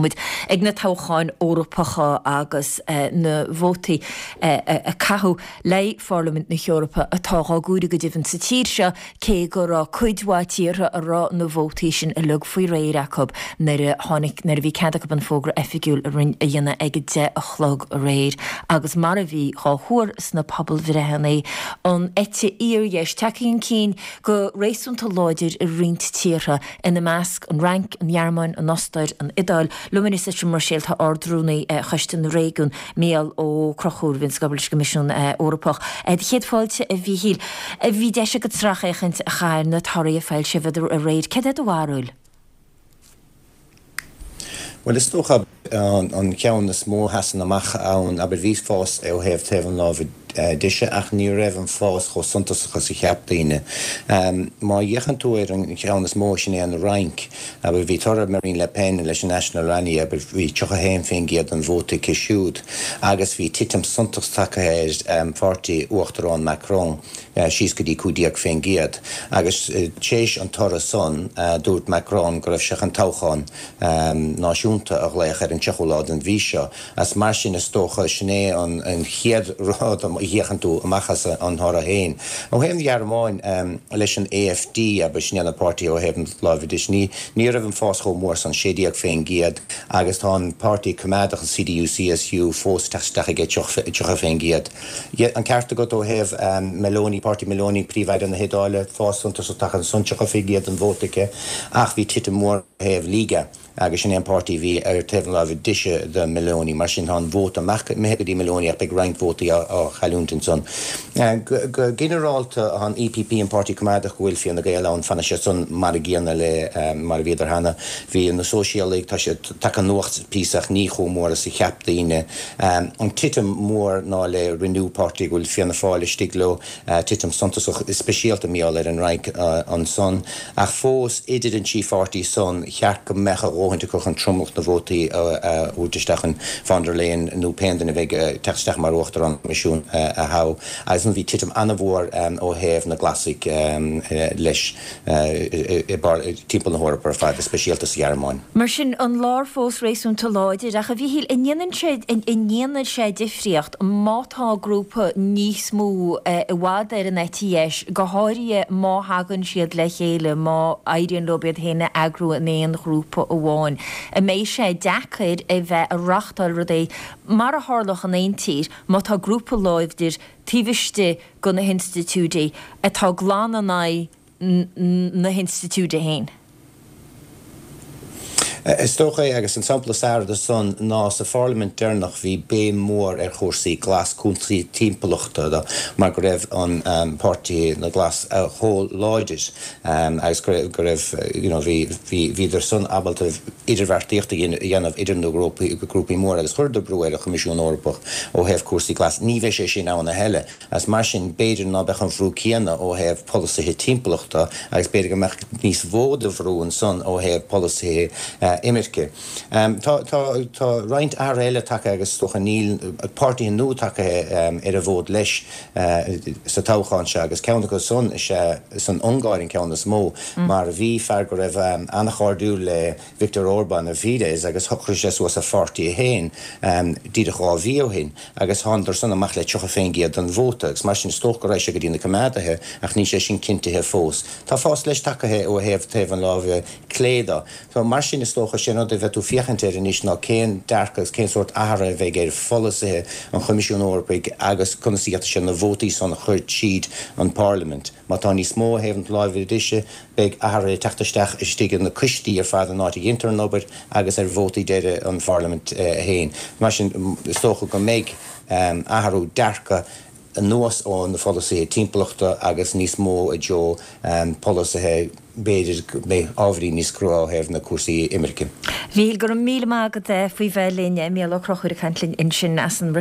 Táimid ag na toghcháin Eorpacha agus na vótaí a caitheadh le Pharlaimint na hEorpa atá dhá gcomhaireamh go deimhin sa tír seo, cé go raibh cuid mhaith tíortha a raibh na vótaí sin uilig faoi réir acu nuair a tháinig, nuair a bhí cead acu an fógra oifigiúil a dhéanamh ag a 10 a chlog aréir. Agus mar a bhí dhá thuar sna pobalbhreitheanna, an eite fhíordheis tagtha chun cinn go réasúnta láidir i roinnt tíortha, ina measc, an Fhrainc, an Ghearmáin, an Ostair, an Iodáil. Liom anois as an mBruiséil tá Ard-Rúnaí Choiste na Réigiún, Mícheál Ó Conchúir, a bhíonns ag obair leis an gCoimisiún Eorpach. Do chéad fáilte, a Mhíchíl. Bhí deis agat sracfhéachaint a chaitheamh ar na torthaí a foilsíodh aréir. Céard é do bharúil? Bhuel, is dócha an ceann is mó a sheasann amach ann, abair, bhí fás ó thaobh taobh an láimhe deise ach ní raibh an fás chomh suntasach is a cheap daoine. Má fhéachann tú ar an cheann is mó, sin é an Fhrainc, abair, bhí toradh Marine Le Pen leis an National Rally, abair, bhí 31% den vóta aici siúd agus bhí titim suntasach tagtha ar pháirtí Uachtarán Macron síos go dtí 15%. Agus tar éis an toradh san, dúirt Macron go raibh sé chun toghchán náisiúnta a ghlaoch ar an 30ú lá den mhí seo. As mar sin, is dócha, sin é an chéad rud a fhéachann tú amach as an thoradh féin. Ó thaobh an Ghearmáin, leis an AfD, abair, sin é an páirtí ó thaobh an láimhe deise, ní ní raibh an fás chomh mór san, 16%, agus tá an páirtí coimeádach, an CDU-CSU, fós ag teacht isteach ag 30%. An ceart agat ó thaobh Meloni, páirtí Meloni, Príomh-Aire na hIodáile, fás suntasach tagtha ansan, 30% den vóta aici, ach bhí titim mhór ó thaobh Lega. Agus sin é an páirtí a bhí ar taobh na láimhe deise de Meloni. Mar sin, tá an vóta amach imithe go dtí Meloni ach beidh roinnt vótaí á chailliúint ansan. Go ginearálta, tá an EPP, an Páirtí Coimeádach go bhfuil Fianna Gael ann, fanfaidh siad san mar a gcéanna le mar a bhíodar cheana. Bhí na Sóisialaigh, tá siad tagtha anuas píosa ach ní chomh mór is a cheap daoine. An titim mhór ná le Renew, páirtí go bhfuil Fianna Fáil istigh leo. Titim suntasach, speisialta mar gheall ar an Fhrainc ansan, ach fós idir an trí pháirtí san, cheart go mbeadh a dhóthaint acu chun tromlach na vótaí a thabhairt isteach chun von der Leyen nó pé duine a bheidh ag teacht isteach mar Uachtarán an Choimisiúin a thoghadh. Agus bhí titim an-mhór ó thaobh na Glasaigh leis timpeall na hEorpa ar fad, speisialta sa Ghearmáin. Mar sin, an lár fós réasúnta láidir, ach a Mhíchíl, an ndéanann sé, an ndéanann sé difríocht má tá grúpa níos mó i bhfad ar an eite dheis, go háirithe má thagann siad le chéile, má éiríonn leo iad féin a eagrú in aon ghrúpa amháin? An mbeidh sé deacair a bheith ag reáchtáil rudaí, mar a tharlódh in aon tír, má tá grúpa láidir taobh istigh de na hinstitiúidí atá glan in aghaidh na hinstitiúide féin. Is dócha é, agus an sampla is fearr de san ná sa pharlaimint deireanach bhí béim mhór ar chúrsaí glas, cúrsaí timpeallachta mar go raibh an páirtí na Glas chomh láidir agus go raibh you know bhí bhíodar san ábalta idirbheartaíocht a dhéanamh idir na grúpaí móra agus chuireadar brú ar an Choimisiún Eorpach ó thaobh cúrsaí glas. Ní bheidh sé sin ann a thuilleadh. Agus mar sin, b'fhéidir ná beadh an bhrú céanna ó thaobh polasaithe timpeallachta agus b'fhéidir go mbeadh níos mó de bhrú ansan ó thaobh polasaithe imirce. Tá, tá, tá roinnt athruithe eile tagtha agus is dócha níl páirtithe nua tagtha ar an bhfód leis sa toghchán seo agus ceann acu san is ea san Ungáir an ceann is mó mar bhí fear go raibh an-chairdiúil le Viktor Orbán i bhFidesz agus shocraigh sé suas a pháirtí féin díreach 2 mhí ó shin. Agus thánadar san amach le 30% den vóta, agus mar sin is dócha go raghaidh sé go dtí na Coimeádaithe, ach níl sé sin cinntithe fós. Tá fás leis tagtha ó thaobh taobh an láimhe clé de. So mar sin is dócha, sé an rud a bheidh tú féachaint air anois ná cén dearcadh agus cén sórt athraithe a bheidh ar pholasaithe an Choimisiúin Eorpaigh agus conas a dhéanfaidh sé na vótaí san a chur tríd an bParlaimint. Má tá níos mó ó thaobh an láimhe deise, beidh athruithe ag teacht isteach istigh in na coistí ar fad an áit a dhéantar an obair agus ar vótaí deiridh an Pharlaimint féin. Mar sin, is dócha go mbeidh athrú dearcadh anuas ó na pholasaithe timpeallachta agus níos mó i dtreo polasaithe b'fhéidir go mbeidh ábhairín níos crua ó thaobh na cúrsaí imirce. Mhíchíl, go raibh míle maith agat faoi bheith linn. Mícheál Ó Conchúir ag caint linn ansin as an.